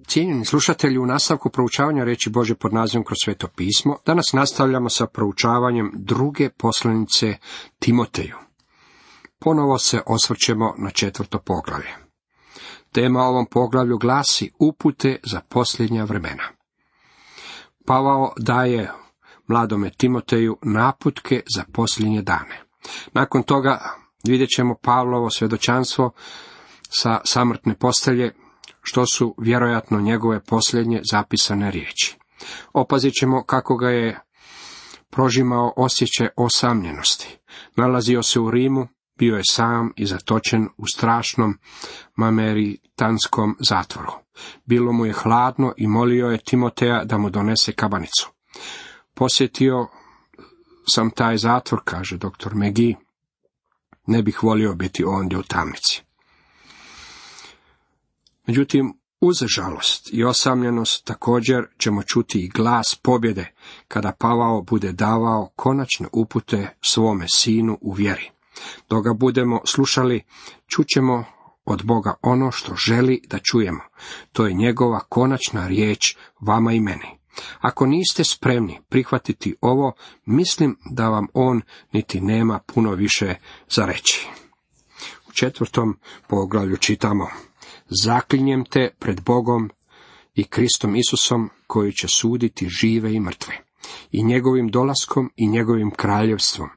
Cijenjeni slušatelji, u nastavku proučavanja riječi Božje pod nazivom Kroz sveto pismo, danas nastavljamo sa proučavanjem druge poslanice Timoteju. Ponovo se osvrćemo na 4. poglavlje. Tema ovom poglavlju glasi upute za posljednja vremena. Pavao daje mladome Timoteju naputke za posljednje dane. Nakon toga vidjet ćemo Pavlovo svjedočanstvo sa samrtne postelje, što su vjerojatno njegove posljednje zapisane riječi. Opazit ćemo kako ga je prožimao osjećaj osamljenosti. Nalazio se u Rimu, bio je sam i zatočen u strašnom mameritanskom zatvoru. Bilo mu je hladno i molio je Timoteja da mu donese kabanicu. Posjetio sam taj zatvor, kaže doktor Megi. Ne bih volio biti ondje u tamnici. Međutim, uz žalost i osamljenost također ćemo čuti i glas pobjede kada Pavao bude davao konačne upute svome sinu u vjeri. Dok ga budemo slušali, čućemo od Boga ono što želi da čujemo. To je njegova konačna riječ vama i meni. Ako niste spremni prihvatiti ovo, mislim da vam on niti nema puno više za reći. U 4. poglavlju čitamo: Zaklinjem te pred Bogom i Kristom Isusom, koji će suditi žive i mrtve, i njegovim dolaskom i njegovim kraljevstvom.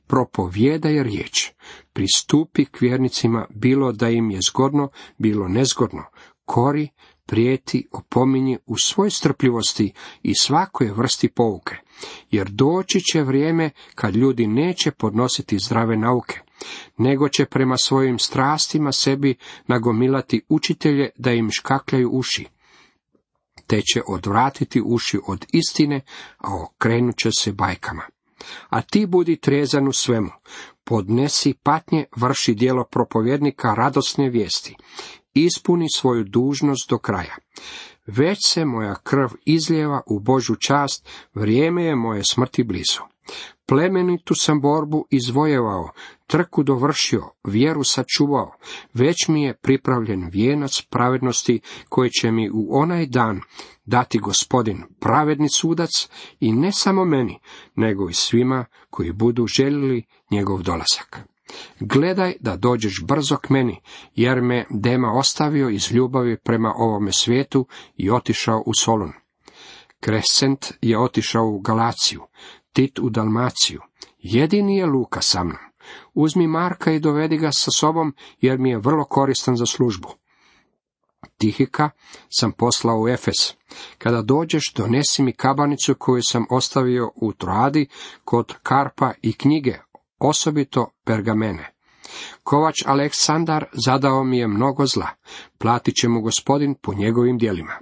Propovijedaj riječ, pristupi k vjernicima, bilo da im je zgodno, bilo nezgodno, kori, prijeti, opominji u svoj strpljivosti i svakoj vrsti pouke, jer doći će vrijeme kad ljudi neće podnositi zdrave nauke, nego će prema svojim strastima sebi nagomilati učitelje da im škakljaju uši, te će odvratiti uši od istine, a okrenut će se bajkama. A ti budi trezan u svemu, podnesi patnje, vrši djelo propovjednika radosne vijesti, ispuni svoju dužnost do kraja. Već se moja krv izlijeva u Božju čast, vrijeme je moje smrti blizu. Plemenitu sam borbu izvojevao, trku dovršio, vjeru sačuvao, već mi je pripravljen vijenac pravednosti koji će mi u onaj dan dati Gospodin, pravedni sudac, i ne samo meni, nego i svima koji budu željeli njegov dolazak. Gledaj da dođeš brzo k meni, jer me Dema ostavio iz ljubavi prema ovome svijetu i otišao u Solun. Krescent je otišao u Galaciju, Tit u Dalmaciju, jedini je Luka sa mnom. Uzmi Marka i dovedi ga sa sobom, jer mi je vrlo koristan za službu. Tihika sam poslao u Efes. Kada dođeš, donesi mi kabanicu koju sam ostavio u Troadi kod Karpa i knjige, osobito pergamene. Kovač Aleksandar zadao mi je mnogo zla, platit će mu Gospodin po njegovim djelima.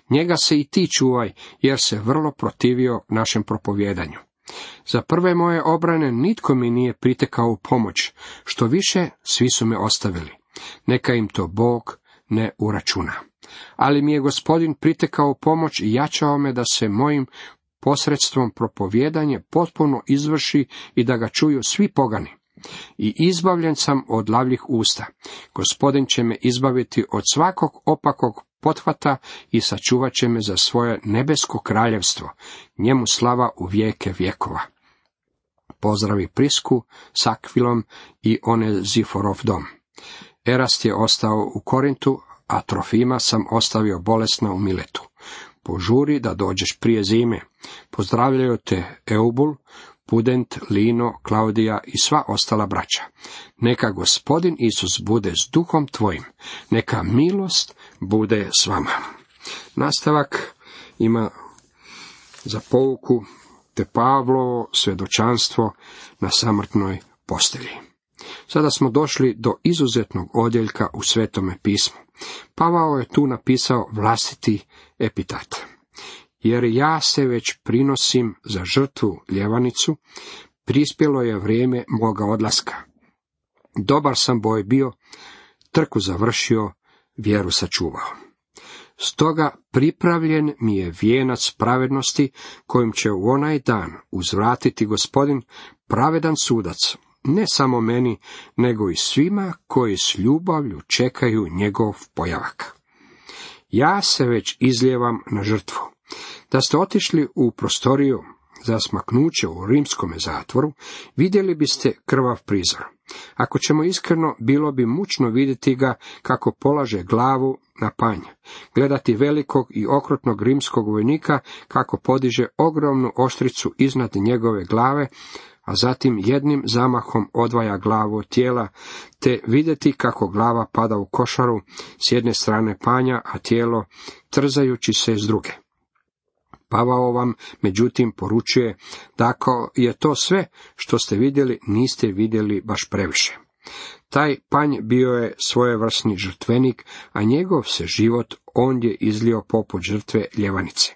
Njega se i ti čuvaj, jer se vrlo protivio našem propovjedanju. Za prve moje obrane nitko mi nije pritekao u pomoć, što više svi su me ostavili. Neka im to Bog ne uračuna. Ali mi je Gospodin pritekao u pomoć i jačao me da se mojim posredstvom propovjedanje potpuno izvrši i da ga čuju svi pogani. I izbavljen sam od lavljih usta. Gospodin će me izbaviti od svakog opakog pothvata i sačuvat će me za svoje nebesko kraljevstvo. Njemu slava u vijeke vjekova. Pozdravi Prisku s Akvilom i Oneziforov dom. Erast je ostao u Korintu, a Trofima sam ostavio bolesna u Miletu. Požuri da dođeš prije zime. Pozdravljaju te Eubul, Pudent, Lino, Klaudija i sva ostala braća. Neka Gospodin Isus bude s duhom tvojim. Neka milost bude s vama. Nastavak ima za pouku te Pavlovo svjedočanstvo na samrtnoj postelji. Sada smo došli do izuzetnog odjeljka u Svetome pismu. Pavao je tu napisao vlastiti epitat. Jer ja se već prinosim za žrtvu ljevanicu, prispjelo je vrijeme moga odlaska. Dobar sam boj bio, trku završio, vjeru sačuvao. Stoga pripravljen mi je vijenac pravednosti, kojim će u onaj dan uzvratiti Gospodin, pravedan sudac, ne samo meni, nego i svima koji s ljubavlju čekaju njegov pojavak. ja se već izlijevam na žrtvu. Da ste otišli u prostoriju za smaknuće u rimskome zatvoru, vidjeli biste krvav prizor. Ako ćemo iskreno, bilo bi mučno vidjeti ga kako polaže glavu na panj, gledati velikog i okrutnog rimskog vojnika kako podiže ogromnu oštricu iznad njegove glave, a zatim jednim zamahom odvaja glavu od tijela, te vidjeti kako glava pada u košaru s jedne strane panja, a tijelo trzajući se s druge. Pavao vam, međutim, poručuje da ako je to sve što ste vidjeli, niste vidjeli baš previše. Taj panj bio je svojevrsni žrtvenik, a njegov se život ondje izlio poput žrtve ljevanice.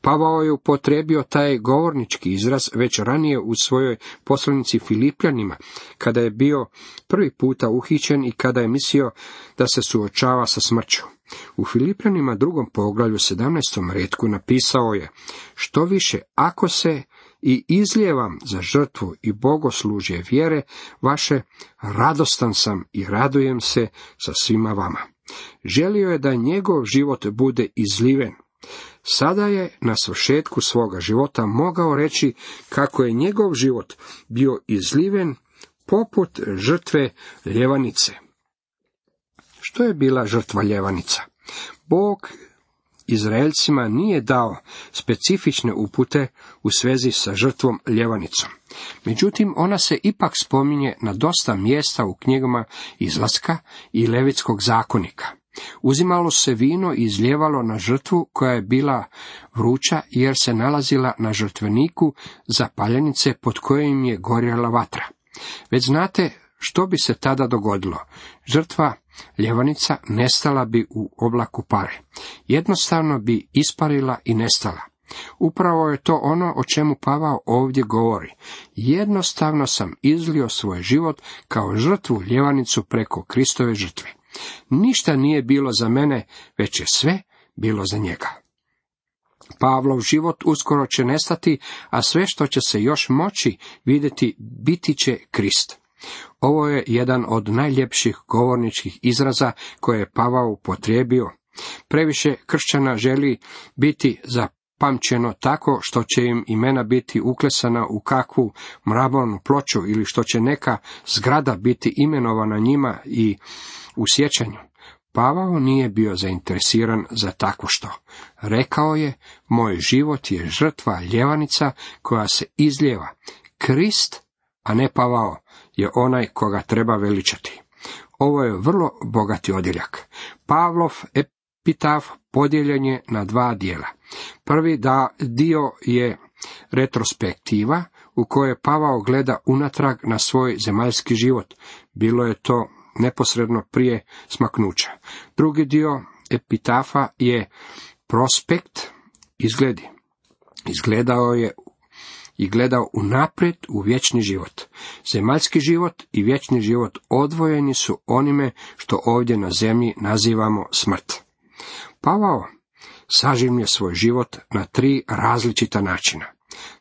Pavao je upotrijebio taj govornički izraz već ranije u svojoj poslanici Filipljanima, kada je bio prvi puta uhićen i kada je mislio da se suočava sa smrću. U Filipljanima 2. poglavlju 17. retku napisao je: što više, ako se i izlijevam za žrtvu i bogoslužje vjere vaše, radostan sam i radujem se sa svima vama. Želio je da njegov život bude izliven. Sada je na svršetku svoga života mogao reći kako je njegov život bio izliven poput žrtve ljevanice. Što je bila žrtva ljevanica? Bog Izraelcima nije dao specifične upute u svezi sa žrtvom ljevanicom. Međutim, ona se ipak spominje na dosta mjesta u knjigama Izlaska i Levitskog zakonika. Uzimalo se vino i izlijevalo na žrtvu koja je bila vruća, jer se nalazila na žrtveniku za paljenice pod kojim je gorjela vatra. Već znate što bi se tada dogodilo. Žrtva ljevanica nestala bi u oblaku pare. Jednostavno bi isparila i nestala. Upravo je to ono o čemu Pavao ovdje govori. Jednostavno sam izlio svoj život kao žrtvu ljevanicu preko Kristove žrtve. Ništa nije bilo za mene, već je sve bilo za njega. Pavlov život uskoro će nestati, a sve što će se još moći vidjeti biti će Krist. Ovo je jedan od najljepših govorničkih izraza koje je Pavao upotrijebio. Previše kršćana želi biti zapamćeno tako što će im imena biti uklesana u kakvu mramornu ploču ili što će neka zgrada biti imenovana njima i u sjećanju. Pavao nije bio zainteresiran za takvo što. Rekao je: moj život je žrtva ljevanica koja se izlijeva. Krist, a ne Pavao, je onaj koga treba veličati. Ovo je vrlo bogati odjeljak. Pavlov epitaf podijeljen je na 2 dijela. Prvi dio je retrospektiva u kojoj Pavao gleda unatrag na svoj zemaljski život. Bilo je to neposredno prije smaknuća. Drugi dio epitafa je prospekt izgledi. Izgledao je i gledao unaprijed u vječni život. Zemaljski život i vječni život odvojeni su onime što ovdje na zemlji nazivamo smrt. Pavao sažimlje svoj život na 3 različita načina.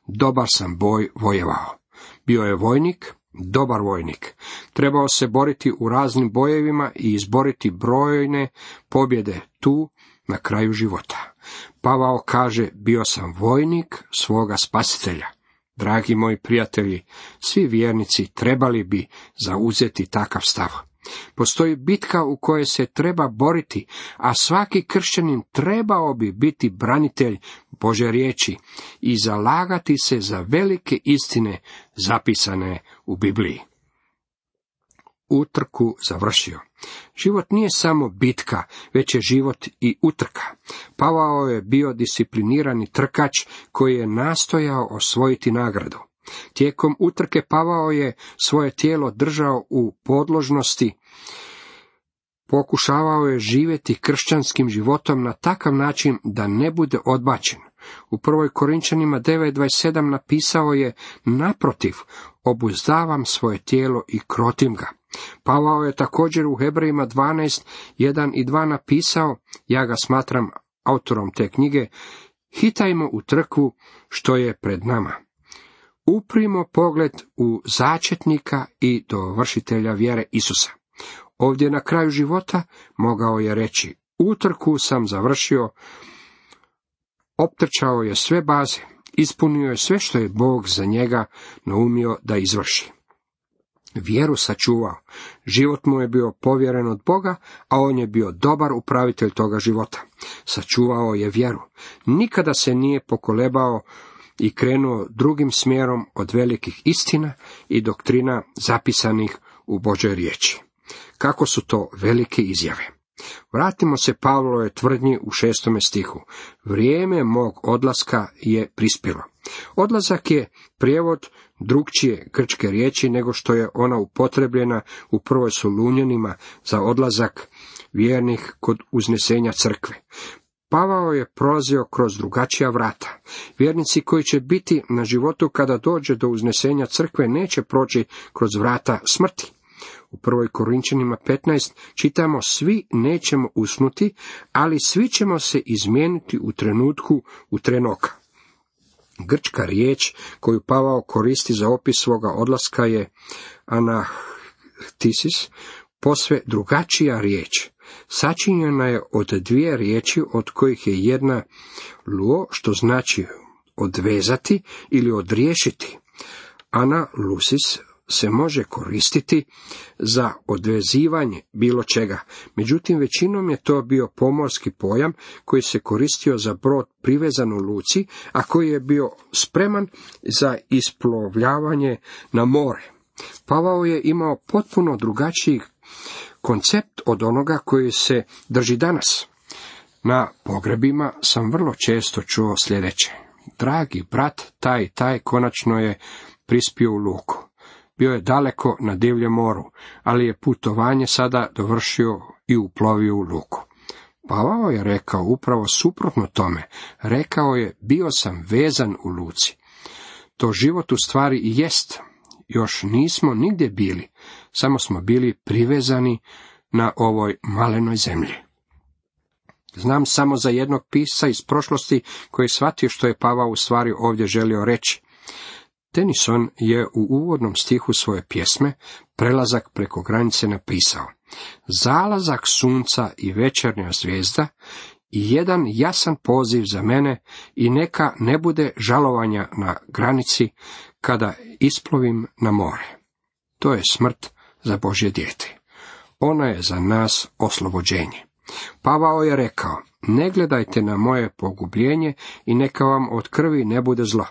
Dobar sam boj vojevao. Bio je vojnik, dobar vojnik. Trebao se boriti u raznim bojevima i izboriti brojne pobjede tu na kraju života. Pavao kaže: bio sam vojnik svoga spasitelja. Dragi moji prijatelji, svi vjernici trebali bi zauzeti takav stav. Postoji bitka u kojoj se treba boriti, a svaki kršćanin trebao bi biti branitelj Božje riječi i zalagati se za velike istine zapisane u Bibliji. Utrku završio. Život nije samo bitka, već je život i utrka. Pavao je bio disciplinirani trkač koji je nastojao osvojiti nagradu. Tijekom utrke Pavao je svoje tijelo držao u podložnosti. Pokušavao je živjeti kršćanskim životom na takav način da ne bude odbačen. U 1. Korinčanima 9:27 napisao je: naprotiv, obuzdavam svoje tijelo i krotim ga. Pavao je također u Hebrejima 12:1 i 2 napisao, ja ga smatram autorom te knjige: hitajmo u trku što je pred nama. Uprimo pogled u začetnika i dovršitelja vjere Isusa. Ovdje na kraju života mogao je reći: Utrku sam završio, optrčao je sve baze, ispunio je sve što je Bog za njega naumio da izvrši. Vjeru sačuvao, život mu je bio povjeren od Boga, a on je bio dobar upravitelj toga života. Sačuvao je vjeru, nikada se nije pokolebao i krenuo drugim smjerom od velikih istina i doktrina zapisanih u Božoj riječi. Kako su to velike izjave! Vratimo se Pavlovoj tvrdnji u 6. stihu. Vrijeme mog odlaska je prispjelo. Odlazak je prijevod drukčije grčke riječi nego što je ona upotrebljena u prvoj Solunjanima za odlazak vjernih kod uznesenja crkve. Pavao je prolazio kroz drugačija vrata. Vjernici koji će biti na životu kada dođe do uznesenja crkve neće proći kroz vrata smrti. U 1. Korinčanima 15 čitamo: svi nećemo usnuti, ali svi ćemo se izmijeniti u trenutku u tren oka. Grčka riječ koju Pavao koristi za opis svoga odlaska je anahtisis, posve drugačija riječ. Sačinjena je od dvije riječi, od kojih je jedna luo, što znači odvezati ili odriješiti. Analusis se može koristiti za odvezivanje bilo čega, međutim većinom je to bio pomorski pojam koji se koristio za brod privezan u luci, a koji je bio spreman za isplovljavanje na more. Pavao je imao potpuno drugačiji koncept od onoga koji se drži danas. Na pogrebima sam vrlo često čuo sljedeće: dragi brat, taj i taj konačno je prispio u luku. Bio je daleko na divljem moru, ali je putovanje sada dovršio i uplovio u luku. Pavao je rekao upravo suprotno tome. Rekao je: bio sam vezan u luci. To život u stvari i jest. Još nismo nigdje bili, samo smo bili privezani na ovoj malenoj zemlji. Znam samo za jednog pisca iz prošlosti koji je shvatio što je Pavao u stvari ovdje želio reći. Tennyson je u uvodnom stihu svoje pjesme Prelazak preko granice napisao: zalazak sunca i večernja zvijezda i jedan jasan poziv za mene, i neka ne bude žalovanja na granici kada isplovim na more. To je smrt za Božje dijete. Ona je za nas oslobođenje. Pavao je rekao: ne gledajte na moje pogubljenje i neka vam od krvi ne bude zlo.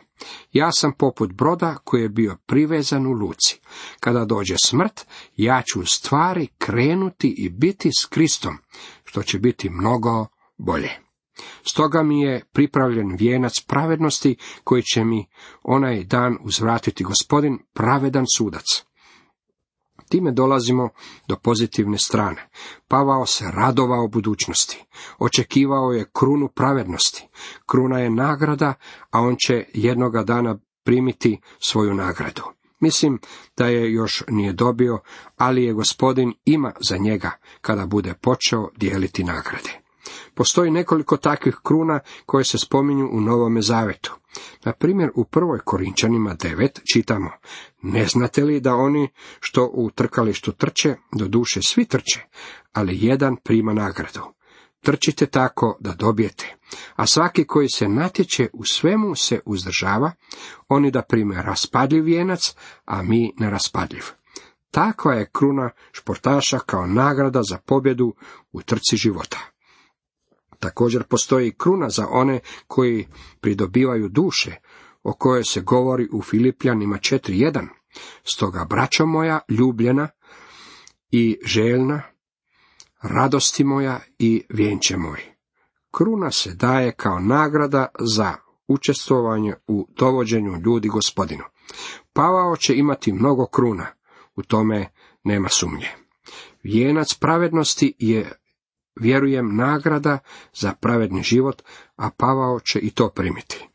Ja sam poput broda koji je bio privezan u luci. Kada dođe smrt, ja ću u stvari krenuti i biti s Kristom, što će biti mnogo bolje. Stoga mi je pripravljen vijenac pravednosti koji će mi onaj dan uzvratiti Gospodin, pravedan sudac. Time dolazimo do pozitivne strane. Pavao se radovao budućnosti. Očekivao je krunu pravednosti. Kruna je nagrada, a on će jednoga dana primiti svoju nagradu. Mislim da je još nije dobio, ali je Gospodin ima za njega kada bude počeo dijeliti nagrade. Postoji nekoliko takvih kruna koje se spominju u Novome Zavetu. Na primjer, u 1. Korinčanima 9 čitamo: ne znate li da oni što u trkalištu trče, doduše svi trče, ali jedan prima nagradu. Trčite tako da dobijete, a svaki koji se natječe u svemu se uzdržava, oni da prime raspadljiv vijenac, a mi neraspadljiv. Takva je kruna športaša kao nagrada za pobjedu u trci života. Također postoji kruna za one koji pridobivaju duše, o kojoj se govori u Filipljanima 4.1. Stoga, braćo moja ljubljena i željna, radosti moja i vjenče moj. Kruna se daje kao nagrada za učestvovanje u dovođenju ljudi Gospodinu. Pavao će imati mnogo kruna, u tome nema sumnje. Vijenac pravednosti je, vjerujem, nagrada za pravedni život, a Pavao će i to primiti.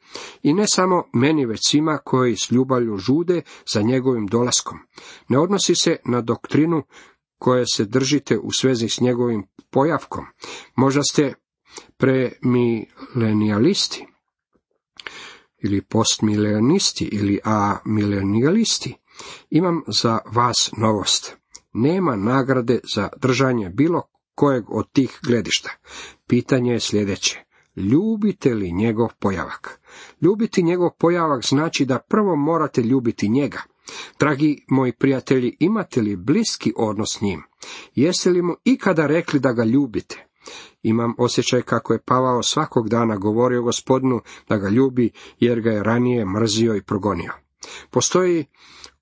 I ne samo meni, već svima koji s ljubavlju žude za njegovim dolaskom. Ne odnosi se na doktrinu koje se držite u svezi s njegovim pojavkom. Možda ste premilenijalisti, ili postmilenisti, ili amilenijalisti. Imam za vas novost. Nema nagrade za držanje bilo kojeg od tih gledišta. Pitanje je sljedeće. Ljubite li njegov pojavak? Ljubiti njegov pojavak znači da prvo morate ljubiti njega. Dragi moji prijatelji, imate li bliski odnos s njim? Jeste li mu ikada rekli da ga ljubite? Imam osjećaj kako je Pavao svakog dana govorio Gospodinu da ga ljubi, jer ga je ranije mrzio i progonio. Postoji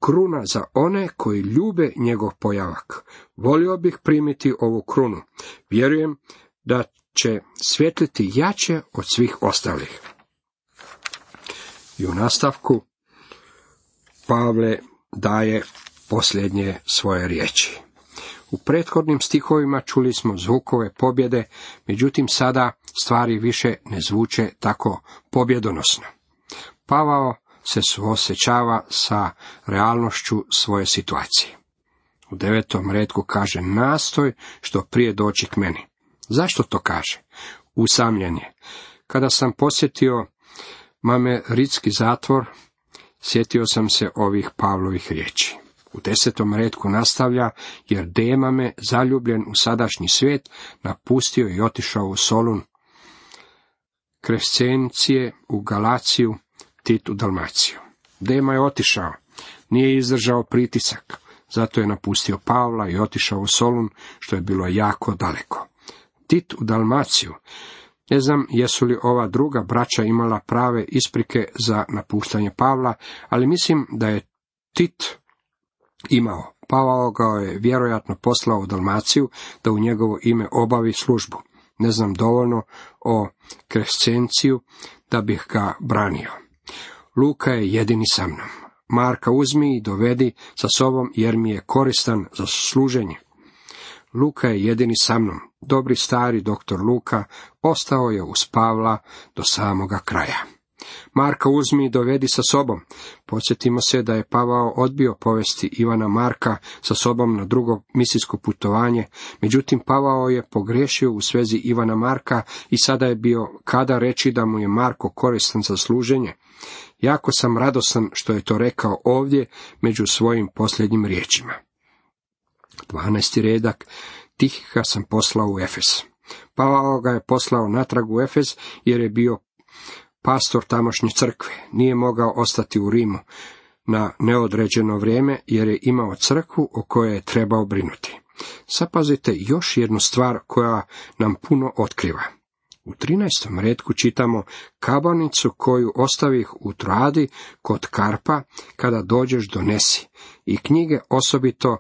kruna za one koji ljube njegov pojavak. Volio bih primiti ovu krunu. Vjerujem da će svjetliti jače od svih ostalih. I u nastavku Pavle daje posljednje svoje riječi. U prethodnim stihovima čuli smo zvukove pobjede, međutim sada stvari više ne zvuče tako pobjedonosno. Pavao se suosjećava sa realnošću svoje situacije. U 9. retku kaže: nastoj što prije doći k meni. Zašto to kaže? Usamljen je. Kada sam posjetio Mameritski zatvor, sjetio sam se ovih Pavlovih riječi. U 10. retku nastavlja: jer Dema me, zaljubljen u sadašnji svijet, napustio i otišao u Solun, Krescencije u Galaciju, Tit u Dalmaciju. Dema je otišao, nije izdržao pritisak, zato je napustio Pavla i otišao u Solun, što je bilo jako daleko. Tit u Dalmaciju. Ne znam jesu li ova druga braća imala prave isprike za napuštanje Pavla, ali mislim da je Tit imao. Pavao ga je vjerojatno poslao u Dalmaciju da u njegovo ime obavi službu. Ne znam dovoljno o Krescenciju da bih ga branio. Luka je jedini sa mnom. Marka uzmi i dovedi sa sobom, jer mi je koristan za služenje. Luka je jedini sa mnom. Dobri stari doktor Luka ostao je uz Pavla do samoga kraja. Marka uzmi i dovedi sa sobom. Podsjetimo se da je Pavao odbio povesti Ivana Marka sa sobom na drugo misijsko putovanje, međutim Pavao je pogriješio u svezi Ivana Marka i sada je bio kada reći da mu je Marko koristan za služenje. Jako sam radosan što je to rekao ovdje među svojim posljednjim riječima. 12. redak. Tihika sam poslao u Efes. Pavao ga je poslao natrag u Efes jer je bio pastor tamošnje crkve. Nije mogao ostati u Rimu na neodređeno vrijeme jer je imao crkvu o kojoj je trebao brinuti. Zapazite još jednu stvar koja nam puno otkriva. U 13. retku čitamo: kabanicu koju ostavih u Troadi kod Karpa, kada dođeš donesi, i knjige osobito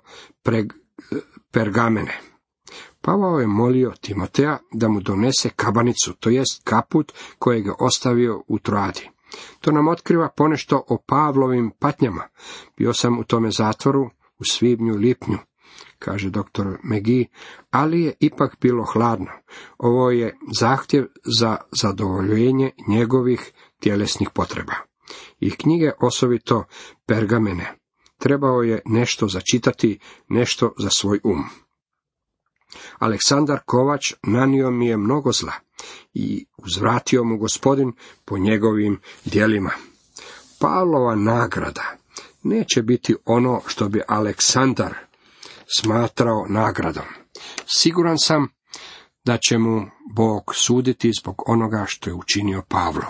pergamene. Pavao je molio Timoteja da mu donese kabanicu, to jest kaput kojeg je ostavio u Troadi. To nam otkriva ponešto o Pavlovim patnjama. Bio sam u tome zatvoru u svibnju, lipnju, kaže dr. McGee, ali je ipak bilo hladno. Ovo je zahtjev za zadovoljenje njegovih tjelesnih potreba. I knjige osobito pergamene. Trebao je nešto začitati, nešto za svoj um. Aleksandar Kovač nanio mi je mnogo zla i uzvratio mu Gospodin po njegovim djelima. Pavlova nagrada neće biti ono što bi Aleksandar smatrao nagradom. Siguran sam da će mu Bog suditi zbog onoga što je učinio Pavlu.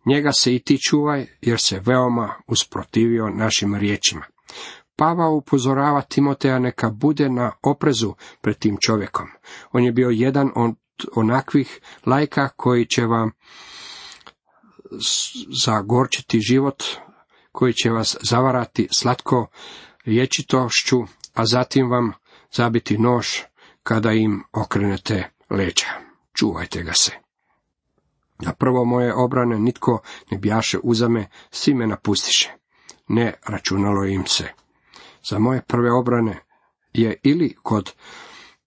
Njega se i ti čuvaj, jer se veoma usprotivio našim riječima. Pavao upozorava Timoteja neka bude na oprezu pred tim čovjekom. On je bio jedan od onakvih laika koji će vam zagorčiti život, koji će vas zavarati slatko rječitošću, a zatim vam zabiti nož kada im okrenete leđa. Čuvajte ga se. Na prvo moje obrane nitko ne bjaše uzame, svi me napustiše. Ne računalo im se. Za moje prve obrane je ili kod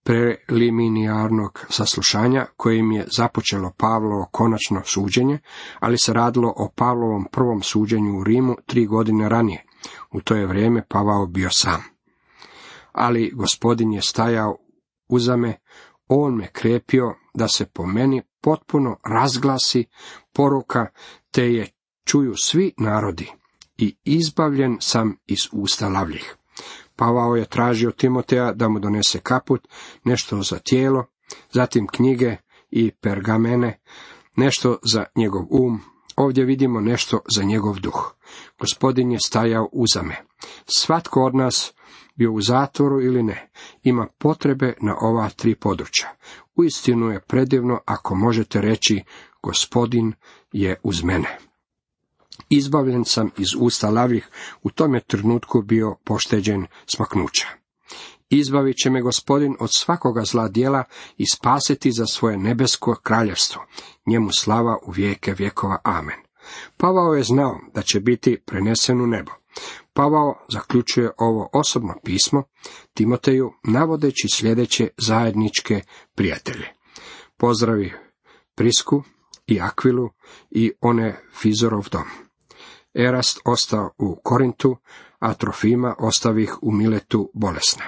preliminarnog saslušanja kojim je započelo Pavlovo konačno suđenje, ali se radilo o Pavlovom prvom suđenju u Rimu 3 godine ranije. U to je vrijeme Pavao bio sam. Ali Gospodin je stajao uza me, on me krepio da se po meni potpuno razglasi poruka, te je čuju svi narodi, i izbavljen sam iz usta lavljih. Pavao je tražio Timoteja da mu donese kaput, nešto za tijelo, zatim knjige i pergamene, nešto za njegov ovdje vidimo nešto za njegov duh. Gospodin je stajao uzame. Svatko od nas, bio u zatvoru ili ne, ima potrebe na ova 3 područja. Uistinu je predivno ako možete reći, Gospodin je uz mene. Izbavljen sam iz usta lavih, u tom je trenutku bio pošteđen smaknuća. Izbavit će me Gospodin od svakoga zla djela i spasiti za svoje nebesko kraljevstvo. Njemu slava u vijeke vjekova. Amen. Pavao je znao da će biti prenesen u nebo. Pavao zaključuje ovo osobno pismo Timoteju navodeći sljedeće zajedničke prijatelje. Pozdravi Prisku i Akvilu i Onefizorov dom. Erast ostao u Korintu, a Trofima ostavih u Miletu bolesna.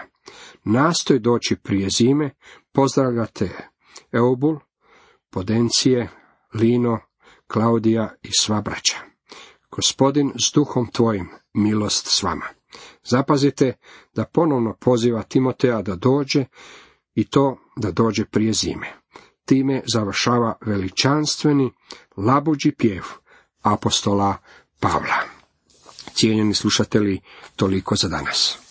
Nastoj doći prije zime, pozdravljate Eubul, Podencije, Lino, Klaudija i sva braća. Gospodin s duhom tvojim, milost s vama. Zapazite da ponovno poziva Timoteja da dođe i to da dođe prije zime. Time završava veličanstveni labuđi pjev apostola Pavla. Cijenjeni slušatelji, toliko za danas.